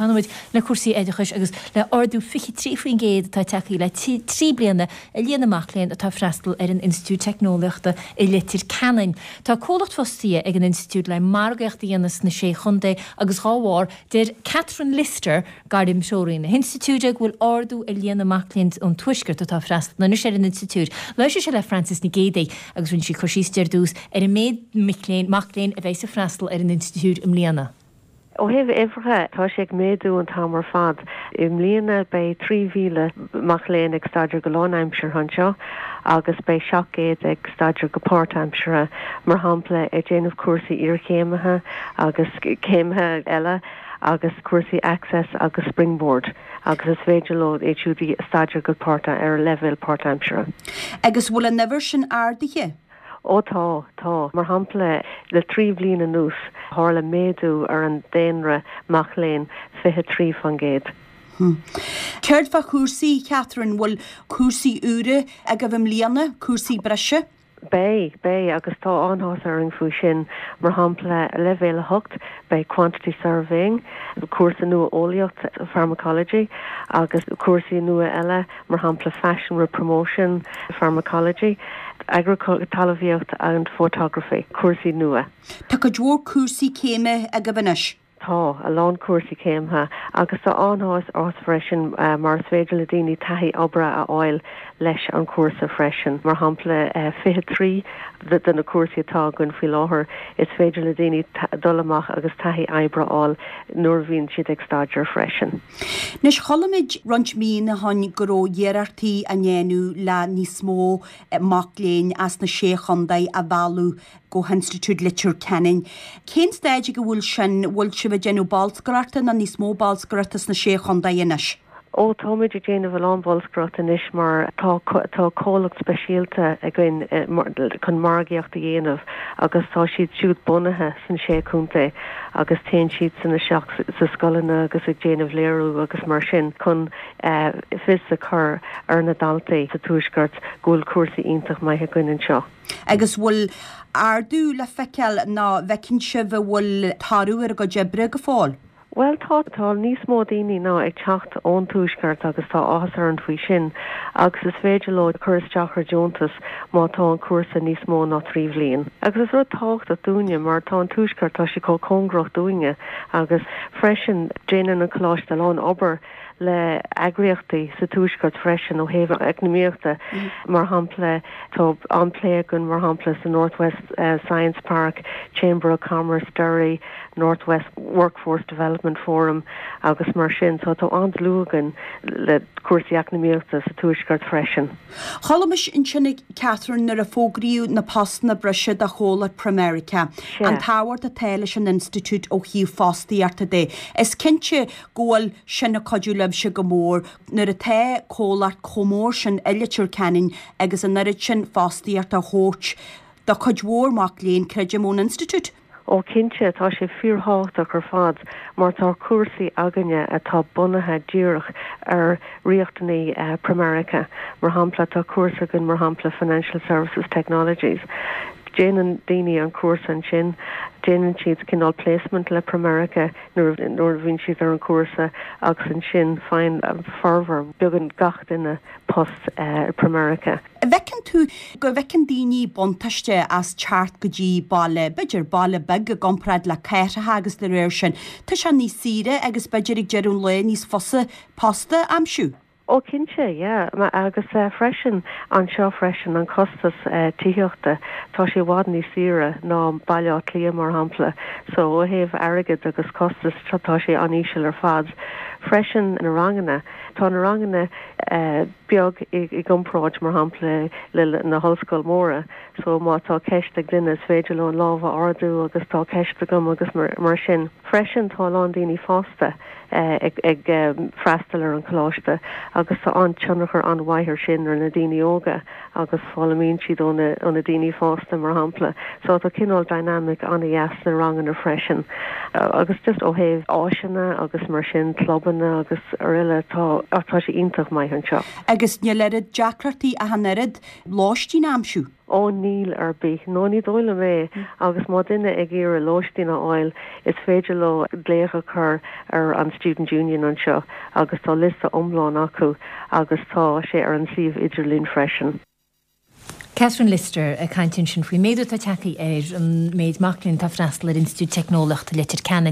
Fanfaidh muid le cúrsaí oideachais agus le ardú 23% atá tagtha le 3 bliana i líon na mac léinn atá ag freastal ar an Institiúid Teicneolaíochta i Leitir Ceanainn. Tá comhlacht fostaithe ag an Institiúid le margaíocht a dhéanamh sna Sé Chontae agus dhá bharr, deir Catherine Lyster, gairmthreoraí na hInstitiúide, go bhfuil ardú ar líon na mac léinn ón Tuaisceart atá ag freastal anois ar an Institiúid. Labhair sise le Frances Nic Géadaigh agus rinne sí cur síos di ar dtús ar an méid mic léinn mac léinn a bheidh ag freastal ar an Institiúid i mbliana. Ó thaobh uimhreacha, tá sé ag méadú an t-am ar fad. I mbliana beidh 3,000 mac léinn ag staidéar go lánaimseartha anseo agus beidh 700 ag staidéar go páirtaimseartha, mar shampla ag déanamh cúrsaí iarchéimithe agus céimithe eile agus cúrsaí Access agus Springboard agus is féidir leo iad siúd a staidéar go páirt ar leibhéal páirtaimseartha. Agus bhfuil an uimhir sin ardaithe? Ó tá, tá. Mar shampla, le 3 bhliain anuas, tharla méadú ar an daonra mac léinn 23%. Céard fá chúrsaí, Catherine? Bhfuil cúrsaí úra agaibh i mbliana, cúrsaí breise? Beidh, beidh, agus tá an-áthas orainn faoi sin. Mar shampla, leibhéal 8, beidh Quantity Surveying, cúrsa nua eolaíocht, Pharmacology, agus cúrsaí nua eile, mar shampla Fashion with Promotion, Pharmacology, Agriculture, Talmhaíocht and Photography, cúrsaí nua. Tá cuid mhór cúrsaí céime agaibh anois. Tá, a lán cúrsaí céime agus tá an-áthas orainn freisin mar is féidir le daoine taithí oibre a fháil leis an chúrsa freisin. Mar shampla, 23 de na cúrsaí atá againn faoi láthair, is féidir le daoine dul amach agus taithí oibre a fháil nuair a bhíonn siad ag staidéar freisin. Anois, chuala muid roinnt míonna ó shin go raibh iarrachtaí á ndéanamh le níos mó mac léinn as na Sé Chontae a mhealladh go hInstitiúid Leitir Ceanainn. Cén staid ag a bhfuil sin? Bhfuil sibh ag déanamh bolscaireachta nó níos mó bolscaireachta sna Sé Chontae anois? Ó, táimid ag déanamh a lán bolscaireachta anois mar tá tá comhlacht speisialta againn chun margaíocht a dhéanamh agus tá siad siúd bunaithe san Sé Chontae agus téann siadsan isteach sa scoileanna agus ag déanamh léiriú agus mar sin chun fios a chur ar na daltaí sa Tuaisceart go bhfuil cúrsaí iontach maith againn anseo. Agus bhfuil ardú le feiceáil nó bhfeiceann sibh a bhfuil toradh ar a gcuid oibre go fóill? Bhuel tá, tá níos mó daoine ná ag teacht ón Tuaisceart agus tá áthas orainn faoi sin agus is féidir leo cur isteach ar deontas má tá an cúrsa níos mó ná 3 bhliain. Agus is rud tábhachtach dúinne mar tá an Tuaisceart, tá sé chomh cóngarach dúinne agus freisin déanann an Coláiste a lán obair le eagraíochtaí sa Tuaisceart freisin ó thaobh eacnamaíochta. Mar shampla, tá an-plé againn mar shampla sa North West Science Park, Chamber of Commerce, Derry, North West Workforce Development Forum agus mar sin. So tá an-dlúth againn le cúrsaí eacnamaíochta sa Tuaisceart freisin. Chuala mise ansin a Catherine nuair a fógraíodh na postanna breise do chomhlacht Pramerica, an tábhacht atá leis an institiúid ó thaobh fostaíochta de. Is cinnte go bhfuil sin ag cuidiú libhse go mór nuair atá comhlacht chomh mór sin i Leitir Ceanainn agus an oiread sin fostaíochta a thabhairt do chuid mhór mac léinn, creidim, ón institiúid. Ó cinnte, tá sé fíorthábhachtach ar fad mar tá cúrsaí againne atá bunaithe díreach ar riachtanaí Pramerica. Mar shampla, tá cúrsa againn mar shampla Financial Services Technologies. Déanann daoine an cúrsa ansin, déanann siad cineál placement le Pramerica nuair a bhíonn siad ar an chúrsa agus ansin faigheann formhór, beagnach gach duine post i Pramerica. An bhfeiceann tú go bhfeiceann daoine buntáiste as teacht go dtí baile, b'fhéidir baile beag i gcomparáid le cathracha agus de réir sin, tá sé níos saoire agus b'fhéidir ag deireadh an lae níos fusa post a aimsiú? Ó cinnte, yeah. Agus freisin anseo freisin an costas tithíochta, tá sé i bhfad níos saoire ná Baile Átha Cliath mar shampla. So ó thaobh airgid agus costas tá sé an-íseal ar fad. Freisin na ranganna, tá na ranganna beag i gcomparáid mar shampla le na hollscoil móra. So má tá ceist ag duine is féidir leo an lámh a ardú agus tá ceist agam agus mar sin. Freisin tá a lán daoine fásta ag freastal ar an choláiste agus tá an-tionchar an-mhaith ar sin ar na daoine óga agus foghlaimíonn siad ó na daoine fásta mar shampla. So tá cineál dynamic an-dheas sna ranganna freisin. Agus just ó thaobh áiseanna agus mar sin, clubanna agus araile, tá. So tá sé iontach maith anseo. Agus níl oiread deacrachtaí ach an oiread lóistín a aimsiú? Ó níl ar bith. No ní dóigh liom é. Agus má duine ag iarraidh lóistín a fháil is féidir leo glaoch a chur ar an Student Union anseo agus tá liosta iomlán acu agus tá sé ar an suíomh idirlín freisin. Catherine Lyster ag caint ansin faoin méadú atá tagtha ar an méid mac léinn atá ag freastal ar Institiúid Teicneolaíochta Leitir Ceanainn.